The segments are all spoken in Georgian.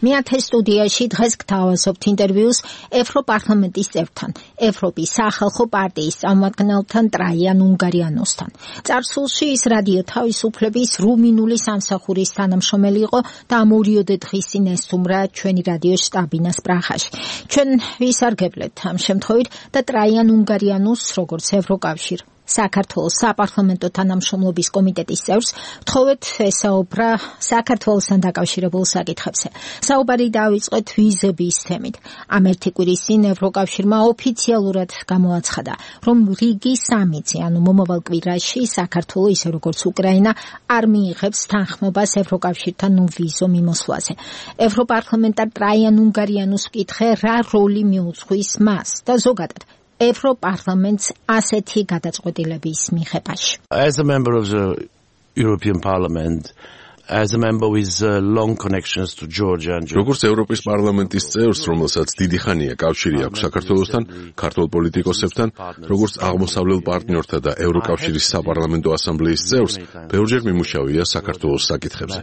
მეათე სტუდიაში დღეს გთავაზობთ ინტერვიუს ევროპარლამენტის წევრთან, ევროპის სახალხო პარტიის წარმომადგენელთან ტრაიან უნგარიანოსთან. წარსულში ის რადიო თავისუფლების რუმინული სამსახურის თანამშრომელი იყო და ამ 2 დღის წინ ესტუმრა ჩვენი რადიოს შტაბინას პრაღაში. ჩვენ ვისარგებლეთ ამ შემთხვევით და ტრაიან უნგარიანოს როგორც ევროკავშირ საქართველოს საპარლამენტო თანამშრომლობის კომიტეტის წევრს ვთხოვეთ ესაუბრა საქართველოსთან დაკავშირებულ საკითხებზე. საუბარი დავიწყეთ ვიზების თემით. ამ ერთი კვირის წინ ევროკავშირმა ოფიციალურად გამოაცხადა, რომ რიგი სამიცი, ანუ მომავალ კვირაში საქართველო ისე როგორც უკრაინა არ მიიღებს თანხმობას ევროკავშირთან ვიზო მიმოსვლაზე. ევროპარლამენტარ ტრაიან უნგარიანოს ვკითხე, რა როლი მიუძღვის მას და ზოგადად ევროპარლამენტს ასეთი გადაწყვეტილების მიღებაში. As a member of the European Parliament, as a member with long connections to Georgia and როგორც ევროპის პარლამენტის წევრს, რომელსაც დიდი ხანია კავშირი აქვს საქართველოსთან, ქართულ პოლიტიკოსებთან, როგორც აღმოსავლელ პარტნიორთა და ევროკავშირის საპარლამენტო ასამბლეის წევრს, ბევრჯერ მიმუშავია საქართველოს საკითხებზე.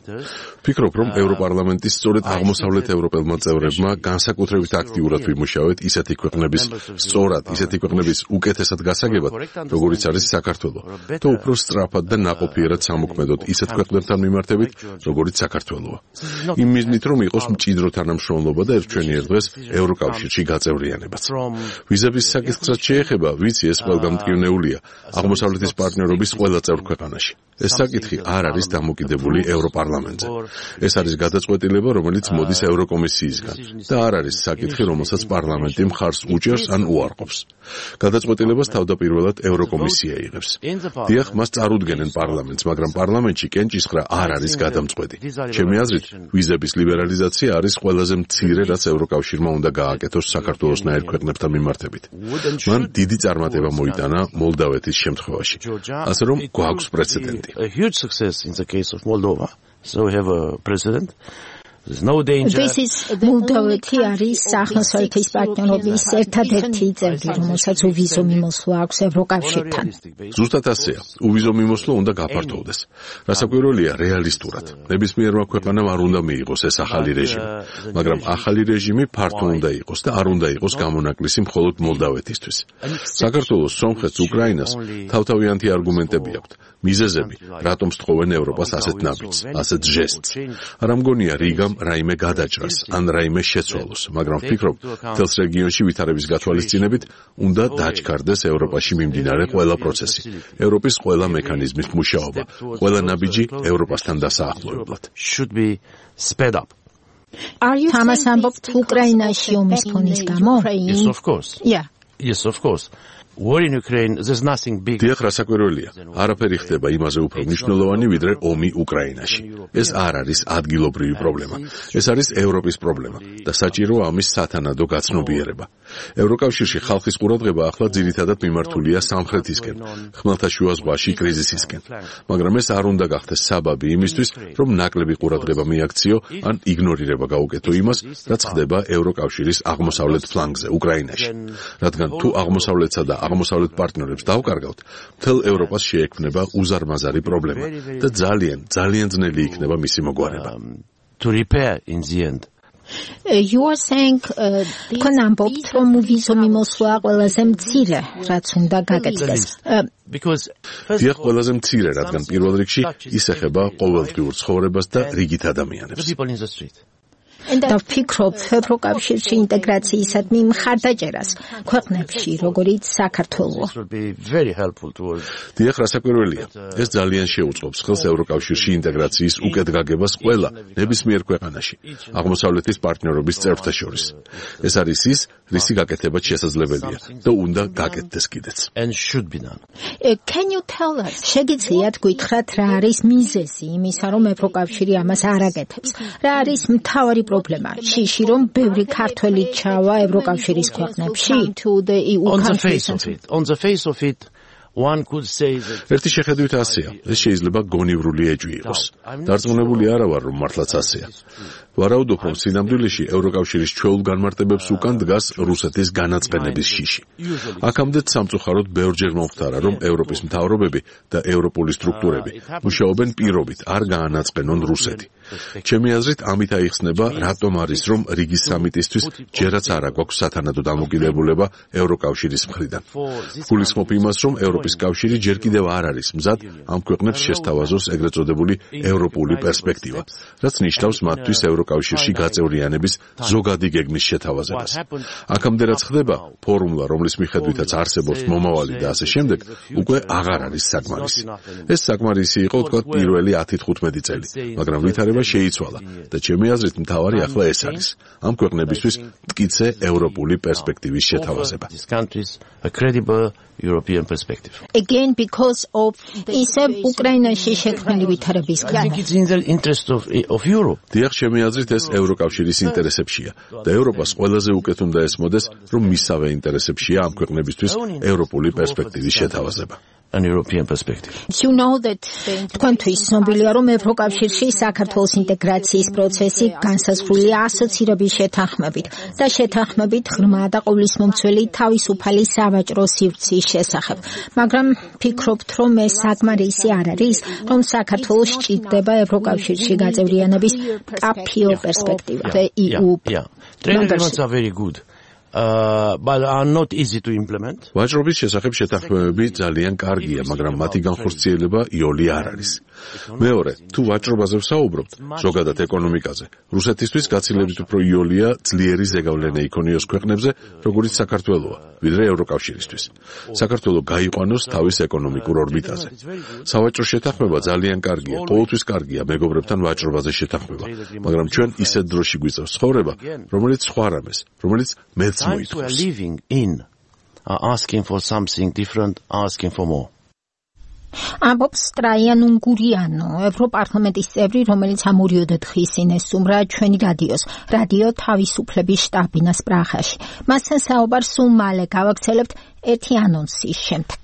ვფიქრობ, რომ ევროპარლამენტის სწორედ აღმოსავლეთ ევროპელმა წევრებმა განსაკუთრებით აქტიურად ვიმუშავეთ ისეთი ქვეყნების უკეთესად გასაგებად, როგორიც არის საქართველო, და უფრო სწრაფად და ნაყოფიერად სამოქმედოდ ისეთ ქვეყნებთან მიმართებით, როგორც საქართველოა. იმ მიზნით, რომ იყოს მჭიდრო თანამშრომლობა და ერთჩვენიერ დღეს ევროკავშირში გაწევრიანებაც. ვიზების საკითხსაც შეეხება, ვიცი ეს ყველგან მტკივნეულია აღმოსავლეთის პარტნიორობის ყველა წევრ ქვეყანაში. ეს საკითხი არ არის დამოკიდებული ევროპარლამენტზე. ეს არის გადაწყვეტილება, რომელიც მოდის ევროკომისიისგან და არ არის საკითხი, რომელსაც პარლამენტი მხარს უჭერს ან უარყოფს. გადაწყვეტილებას თავდაპირველად ევროკომისია იღებს. დიახ, მას წარუდგენენ პარლამენტს, მაგრამ პარლამენტში კენჭისყრა არ არის გადამწყვეტი. ჩემი აზრით, ვიზების ლიბერალიზაცია არის ყველაზე მცირე, რაც ევროკავშირმა უნდა გააკეთოს საქართველოსნაირ ქვეყნებთან მიმართებით. მან დიდი წარმატება მოიტანა მოლდავეთის შემთხვევაში. ასე რომ გვაქვს პრეცედენტი. A huge success in the case of Moldova. So we have a president. There's no danger. მოლდოვეთი არის აღმოსავლეთის პარტნიორობის ერთადერთი წევრი, რომელსაც უვიზო მიმოსვლა აქვს ევროკავშირთან. ზუსტად ასეა. უვიზო მიმოსვლა უნდა გაფართოვდეს. რასაკვირველია, რეალისტურად. ნებისმიერმა ქვეყანამ არ უნდა მიიღოს ეს ახალი რეჟიმი. მაგრამ ახალი რეჟიმი ფართო უნდა იყოს და არ უნდა იყოს გამონაკლისი მხოლოდ მოლდავეთისთვის. საქართველოს, სომხეთს, უკრაინას თავთავიანთი არგუმენტები აქვთ. მიზეზები, რატომ სწხოვენ ევროპას ასეთ ნაბიჯს, ასეთ ჟესტს. არ ამგონია რიგამ რაიმე გადაჭრას, ან რაიმე შეცვალოს, მაგრამ ვფიქრობ, მთელს რეგიონში ვითარების გათვალისწინებით უნდა დაჩქარდეს ევროპაში მიმდინარე ყველა პროცესი, ევროპის ყველა მექანიზმის მუშაობა, ყველა ნაბიჯი ევროპასთან დასაახლოებლად. Should be sped up. თამას ამბობთ უკრაინაში ომის ფონის გამო? Yes, of course. Yeah. Yes, of course. War in Ukraine, there's nothing big. დიახ, რასაკვირველია, არაფერი ხდება იმაზე უფრო მნიშვნელოვანი, ვიდრე ომი უკრაინაში. ეს არ არის ადგილობრივი პრობლემა. ეს არის ევროპის პრობლემა და საჭიროა ამის სათანადო გაცნობიერება. ევროკავშირში ხალხის ყურადღება ახლა ძირითადად მიმართულია სამხრეთისკენ, ხმელთაშუა ზღვაში კრიზისისკენ. მაგრამ ეს არ უნდა გახდეს საბაბი იმისთვის, რომ ნაკლები ყურადღება მიაქციო ან იგნორირება გაუკეთო იმას, რაც ხდება ევროკავშირის აღმოსავლეთ ფლანგზე, უკრაინაში. რადგან თუ აღმოსავლეთსა და აღმოსავლეთ პარტნიორებს დავკარგავთ, მთელ ევროპას შეექმნება უზარმაზარი პრობლემა და ძალიან ძნელი იქნება მისი მოგვარება. To repair in the end. You are saying თქვენ ამბობთ, რომ ვიზო მიმოსვლა ყველაზე მცირე, რაც უნდა გაკეთდეს. დიახ, ყველაზე მცირე, რადგან პირველ რიგში ის ეხება ყოველდღიურ ცხოვრებას და რიგით ადამიანებს. და ვფიქრობ, ევროკავშირში ინტეგრაციისადმი მხარდაჭერას ქვეყნებში, როგორიც საქართველო. დიახ, რასაკვირველია, ეს ძალიან შეუწყობს ხელს ევროკავშირში ინტეგრაციის უკეთ გაგებას ყველა ნებისმიერ ქვეყანაში, აღმოსავლეთის პარტნიორობის წევრთა შორის. ეს არის ის, რისი გაკეთება შესაძლებელია და უნდა გაკეთდეს კიდეც. Can you tell us? შეგიძლიათ გითხრათ, რა არის მიზეზი იმისა, რომ ევროკავშირი ამას არ აკეთებს? რა არის მთავარი პრობლემა? შიში, რომ ბევრი ქართველი ჩავა ევროკავშირის ქვეყნებში? On the face of it, one could say that ერთი შეხედვით ასეა, ეს შეიძლება გონივრული ეჭვი იყოს. დარწმუნებული არა ვარ, რომ მართლაც ასეა. ვარაუდობ, რომ სინამდვილეში ევროკავშირის ჩვეულ განმარტებებს უკან დგას რუსეთის განაწყენების შიში. აქამდე სამწუხაროდ ბევრჯერ მომხდარა, რომ ევროპის მთავრობები და ევროპული სტრუქტურები მუშაობენ პირობით, არ გაანაწყენონ რუსეთი. ჩემი აზრით, ამით აიხსნება, რატომ არის, რომ რიგის სამიტისთვის ჯერაც არა გვაქვს სათანადო დამოკიდებულება ევროკავშირის მხრიდან. გულისხმობ იმას, რომ ევროპის კავშირი ჯერ კიდევ არ არის მზად ამ ქვეყნებს შესთავაზოს ეგრეთ წოდებული ევროპული პერსპექტივა, რაც ნიშნავს მათთვის ევროკავშირში გაწევრიანების ზოგადი გეგმის შეთავაზებას. აქამდე რაც ხდება, ფორმულა, რომლის მიხედვითაც არსებობს მომავალი და ასე შემდეგ, უკვე აღარ არის საკმარისი. ეს საკმარისი იყო, თქვათ, პირველი 10-15 წელი, მაგრამ ვითარება შეიცვალა და ჩემი აზრით მთავარი ახლა ეს არის. ამ ქვეყნებისთვის მტკიცე ევროპული პერსპექტივის შეთავაზება. European perspective. Again, because of ისევ უკრაინაში შექმნილი ვითარების I think it's in the interest of Europe. დიახ, ჩემი აზრით ეს ევროკავშირის ინტერესებშია და ევროპას ყველაზე უკეთ უნდა ესმოდეს, რომ მისავე ინტერესებშია ამ ქვეყნებისთვის ევროპული პერსპექტივის შეთავაზება. An European perspective. You know that თქვენთვის ცნობილია, რომ ევროკავშირში საქართველოს ინტეგრაციის პროცესი განსაზღვრულია ასოცირების შეთანხმებით და შეთანხმებით ღრმა და ყოვლისმომცველი თავისუფალი სავაჭრო სივრცის შესახებ. მაგრამ ფიქრობთ, რომ ეს საკმარისი არ არის, რომ საქართველოს სჭირდება ევროკავშირში გაწევრიანების მკაფიო პერსპექტივა. Trade are very good. But are not easy to implement. ვაჭრობის შესახებ შეთანხმებები ძალიან კარგია, მაგრამ მათი განხორციელება იოლი არ არის. მეორე, თუ ვაჭრობაზე ვსაუბრობთ, ზოგადად ეკონომიკაზე, რუსეთისთვის გაცილებით უფრო იოლია ძლიერი ზეგავლენა იქონიოს ქვეყნებზე, როგორიც საქართველოა, ვიდრე ევროკავშირისთვის. საქართველო გაიყვანოს თავის ეკონომიკურ ორბიტაზე. სავაჭრო შეთანხმება ძალიან კარგია, ყოველთვის კარგია მეგობრებთან ვაჭრობაზე შეთანხმება, მაგრამ ჩვენ ისეთ დროში გვიწევს ცხოვრება, რომელიც სხვა რამეს, რომელიც მეც Times we are living in are asking for something different, asking for more. ამბობს ტრაიან უნგურიანო, ევროპარლამენტის წევრი, რომელიც ამ 2 დღის წინ ესტუმრა ჩვენი რადიოს, რადიო თავისუფლების შტაბ-ბინას პრაღაში. მასთან საუბარს სულ მალე გავაგრძელებთ ერთი ანონსის შემდეგ.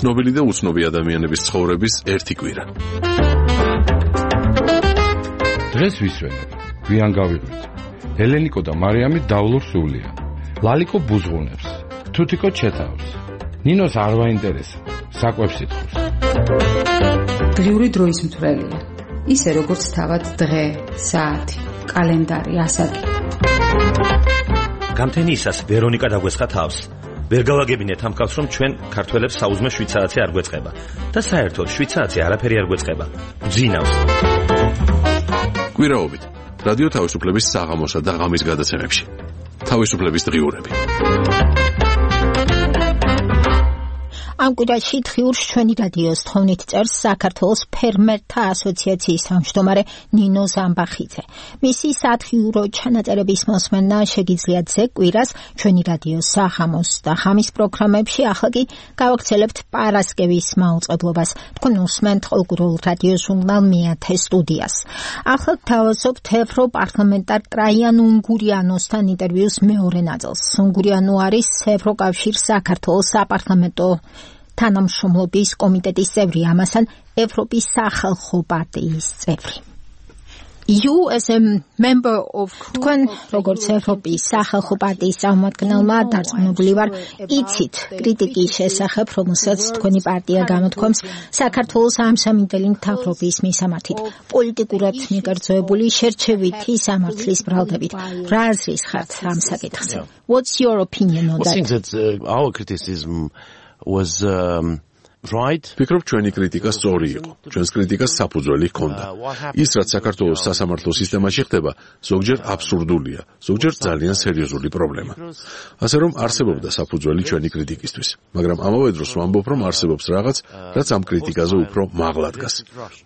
ცნობილი და უცნობი ადამიანების ცხოვრების ერთი კვირა. დღეს ვისვენებ, გვიან გავიღვით. ელენიკო და მარიამი დავლურ სულია. ლალიკო ბუზღუნებს, თუთიკო ჩეთავს. ნინოს არ ვაინტერესა, საკვებს ითხოვს. დღიური დროის მთვრელია. ისე როგორც თავად დღე, საათი, კალენდარი, ასაკი. გამთენიისას ვერონიკა დაგვესხა თავს. ვერ გავაგებინეთ ამ კაცს, რომ ჩვენ ქართველებს საუზმე 7 საათი არ გვეწყება და საერთოდ 7 საათი არაფერი არ გვეწყება. ძინავს. კვირაობით რადიო თავისუფლების საღამოსა და ღამის გადაცემებში. თავისუფლების დღიურები. ამ კვირაში დღიურს ჩვენი რადიოს თხოვნით წერს საქართველოს ფერმერთა ასოციაციის თავმჯდომარე ნინო ზამბახიძე. მისი სათხიურო ჩანაწერების მოსმენა შეგიძლიათ ზეგ კვირას ჩვენი რადიოს საღამოს და ღამის პროგრამებში, ახლა კი გავაგრძელებთ პარასკევის მაუწყებლობას. თქვენ უსმენთ ყოველკვირეულ რადიო ჟურნალ მეათე სტუდიას. ახლა გთავაზობთ ევროპარლამენტარ ტრაიან უნგურიანოსთან ინტერვიუს მეორე ნაწილს. უნგურიანო არის ევროკავშირ საქართველოს საპარლამენტო თანამშრომლობის კომიტეტის წევრი, ამასთან ევროპის სახალხო პარტიის წევრი. You as a member of თქვენ როგორც ევროპის სახალხო პარტიის წარმომადგენელმა დარწმუნებული ვარ, იცით კრიტიკის შესახებ, რომელსაც თქვენი პარტია გამოთქვამს საქართველოს ამსამინდელი მთავრობის მისამართით, პოლიტიკურად მიგრძელებული შერჩევითი სამართლის ბრალდებით. რა აზრის ხართ ამ საკითხზე? What's your opinion on that? I think that our criticism was right. ფიქრობ ჩვენი კრიტიკა სწორი იყო. ჩვენს კრიტიკას საფუძველი ჰქონდა. ის რაც საქართველოს სასამართლო სისტემაში ხდება, ზოგჯერ აბსურდულია, ზოგჯერ ძალიან სერიოზული პრობლემა. ასე რომ არსებობდა საფუძველი ჩვენი კრიტიკისთვის, მაგრამ ამავე დროს ვამბობ, რომ არსებობს რაღაც, რაც ამ კრიტიკაზე უფრო მაღლა დგას.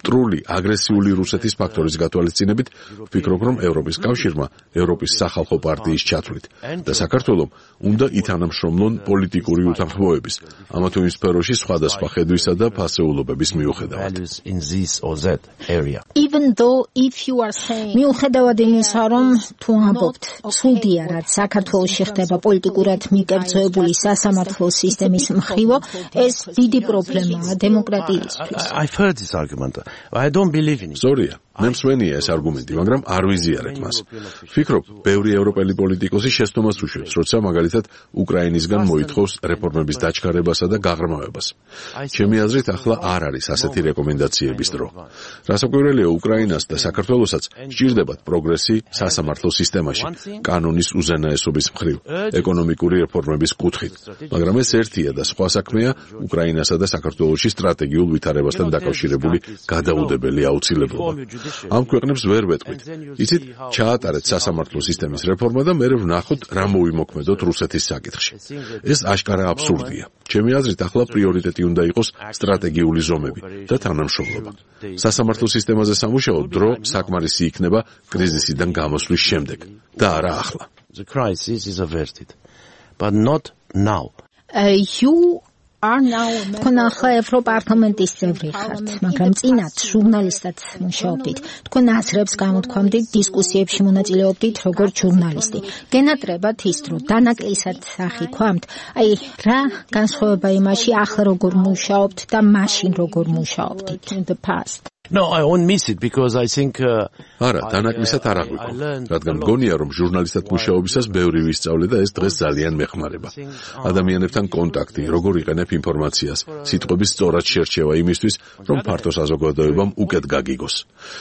მტრული, აგრესიული რუსეთის ფაქტორის გათვალისწინებით, ვფიქრობ, რომ ევროპის კავშირმა, ევროპის სახალხო პარტიის ჩათვლით და საქართველომ უნდა ითანამშრომლონ პოლიტიკური უთანხმოების, ამა თუ იმ სფეროში სხვადასხვა სხვადასხვა ხედვისა და ფასეულობების მიუხედავად. მიუხედავად იმისა, რომ თუ ამბობთ, სულდია, რაც საქართველოში ხდება პოლიტიკურად მიკერძოებული სასამართლო სისტემის მხრივო, ეს დიდი პრობლემაა დემოკრატიისთვის. სწორია, მე მსვენია ეს არგუმენტი, მაგრამ არ ვიზიარებ მას. ვფიქრობ, ბევრი ევროპელი პოლიტიკოსი შეცდომას უშვებს, როცა მაგალითად უკრაინისგან მოითხოვს რეფორმების დაჩქარებასა და გაღრმავებას. ჩემი აზრით, ახლა არ არის ასეთი რეკომენდაციების დრო. რასაკვირველია, უკრაინას და საქართველოსაც სჭირდებათ პროგრესი სასამართლო სისტემაში, კანონის უზენაესობის მხრივ, ეკონომიკური რეფორმების კუთხით. მაგრამ ეს ერთია და სხვა საქმეა უკრაინასა და საქართველოში სტრატეგიულ ვითარებასთან დაკავშირებული გადაუდებელი აუცილებლობა. ამ ქვეყნებს ვერ ვეტყვით. იცით, ჩაატარეთ სასამართლო სისტემის რეფორმა და მე ვნახოთ, რა მოვიმოქმედოთ რუსეთის საკითხში. ეს აშკარა აბსურდია. ჩემი აზრით, ახლა პრიორიტეტი უნდა იყოს სტრატეგიული ზომები და თანამშრომლობა. სასამართლო სისტემაზე სამუშაო დრო საკმარისი იქნება კრიზისიდან გამოსვლის შემდეგ და არა ახლა. The crisis is averted, but not now. თქვენ ახლა ევროპარლამენტის წევრი ხართ, მაგრამ წინათ ჟურნალისტად მუშაობდით. თქვენ აზრებს გამოთქვამდით, დისკუსიებში მონაწილეობდით როგორც ჟურნალისტი. გენატრებათ ის დრო, დანაკლისად ახიქვამთ. რა განსხვავება იმაში, ახლა როგორ მუშაობთ და მაშინ როგორ მუშაობდით in the past? No, I won't miss it because I think არა, დანაკლისად არ აღვიქვამთ, რადგან მგონია, რომ ჟურნალისტად მუშაობისას ბევრი ვისწავლე და ეს დღეს ძალიან მეხმარება. ადამიანებთან კონტაქტი, როგორ იყენებ ინფორმაციას, სიტყვების სწორად შერჩევა იმისთვის, რომ ფართო საზოგადოებამ უკეთ გაგიგოს.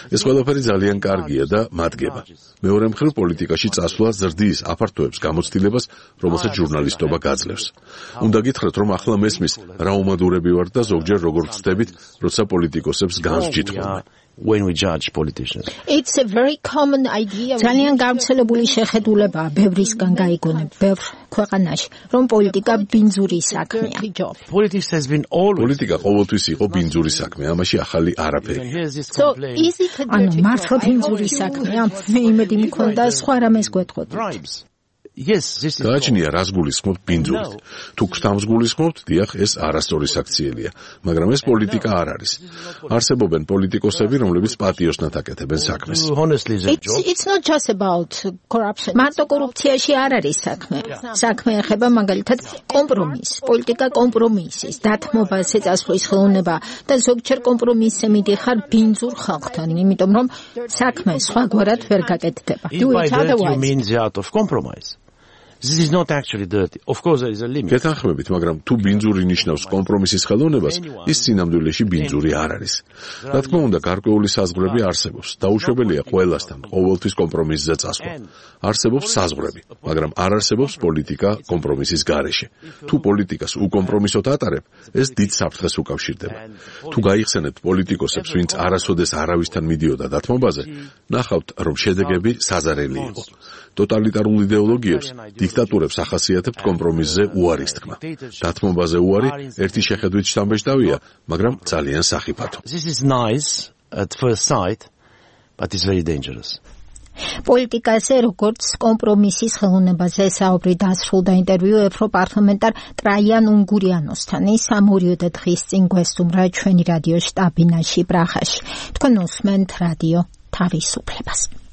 ეს ყველაფერი ძალიან კარგია და მადგება. მეორე მხრივ, პოლიტიკაში წასვლა ზრდის აფართოებს გამოცდილებას, რომელსაც ჟურნალისტობა გაძლევს. უნდა გითხრათ, რომ ახლა მესმის რა უმადურები ვართ და ზოგჯერ როგორ ვწდებით, როცა პოლიტიკოსებს განსჯით when we judge politicians. It's a very common idea. ძალიან გავრცელებული შეხედულებაა ბევრისგან გაიგონებ ბევრ ქვეყანაში, რომ პოლიტიკა ბინძური საქმეა. პოლიტიკა ყოველთვის იყო ბინძური საქმე, ამაში ახალი არაფერი. მართლა ბინძური საქმეა? მე იმედი მქონდა სხვა რამეს გვეტყოდით. გააჩნია რას გულისხმობთ ბინძურით. თუ გრთამს გულისხმობთ, დიახ, ეს არასწორი საქციელია, მაგრამ ეს πολιτიკა არ არის. არსებობენ პოლიტიკოსები, რომლებიც პატიოსნად აკეთებენ საქმეს. It's not just about corruption. მარტო კორუფციაში არ არის საქმე. საქმე ეხება მაგალითად კომპრომისს, პოლიტიკა კომპრომისის, დათმობას ეწასვლის ხელოვნება და ზოგჯერ კომპრომისზე მიდიხარ ბინძურ ხალხთან, იმიტომ რომ საქმე სხვაგვარად ვერ გაკეთდება. Do it otherwise. You mean the art of compromise. This is not actually dirty. Of course there is a limit. გეთანხმებით, მაგრამ თუ ბინძური ნიშნავს კომპრომისის ხელოვნებას, ის სინამდვილეში ბინძური არ არის. რა თქმა უნდა, გარკვეული საზღვრები არსებობს. დაუშვებელია ყველასთან ყოველთვის კომპრომისზე წასვლა. არსებობს საზღვრები, მაგრამ არ არსებობს პოლიტიკა კომპრომისის გარეშე. თუ პოლიტიკას უკომპრომისოდ ატარებ, ეს დიდ საფრთხეს უკავშირდება. თუ გაიხსენებთ პოლიტიკოსებს, ვინც არასოდეს არავისთან მიდიოდა დათმობაზე, ნახავთ, რომ შედეგები საზარელი იყო. ტოტალიტარულ იდეოლოგიებს, დიქტატურებს ახასიათებთ კომპრომისზე უარის თქმა. დათმობაზე უარი ერთი შეხედვით შთამბეჭდავია, მაგრამ ძალიან სახიფათო. This is nice at first sight, but it's very dangerous. პოლიტიკაზე როგორც კომპრომისის ხელოვნებაზე საუბრი დასრულდა ინტერვიუ ევროპარლამენტარ ტრაიან უნგურიანოსთან. ის ამ 2 დღის წინ გვესტუმრა ჩვენი რადიო შტაბინაში პრაღაში. თქვენ უსმენთ რადიო თავისუფლებას.